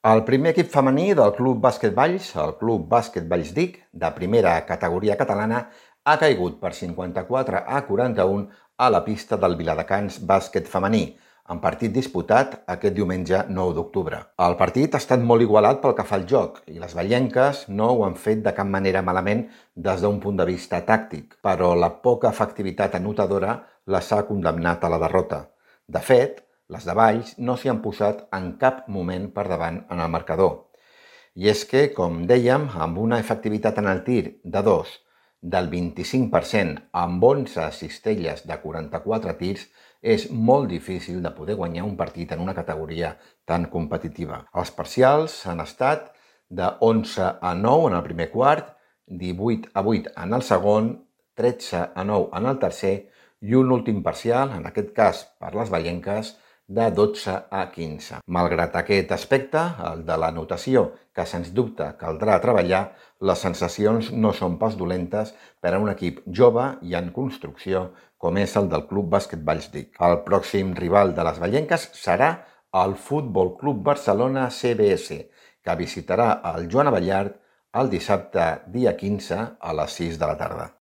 El primer equip femení del Club Bàsquet Valls, el Club Bàsquet Valls Dic, de primera categoria catalana, ha caigut per 54-41 a la pista del Viladecans Bàsquet Femení, en partit disputat aquest diumenge 9 d'octubre. El partit ha estat molt igualat pel que fa al joc i les vallenques no ho han fet de cap manera malament des d'un punt de vista tàctic, però la poca efectivitat anotadora les ha condemnat a la derrota. De fet, les de Valls no s'hi han posat en cap moment per davant en el marcador. I és que, com dèiem, amb una efectivitat en el tir de 2 del 25% amb 11 cistelles de 44 tirs, és molt difícil de poder guanyar un partit en una categoria tan competitiva. Els parcials han estat de 11-9 en el primer quart, 18-8 en el segon, 13-9 en el tercer i un últim parcial, en aquest cas per les vallenques, de 12-15. Malgrat aquest aspecte, el de la notació, que sens dubte caldrà treballar, les sensacions no són pas dolentes per a un equip jove i en construcció com és el del Club Bàsquet Valls Dic. El pròxim rival de les vallenques serà el Futbol Club Barcelona CBS, que visitarà el Joan Abellart el dissabte dia 15 a les 6 de la tarda.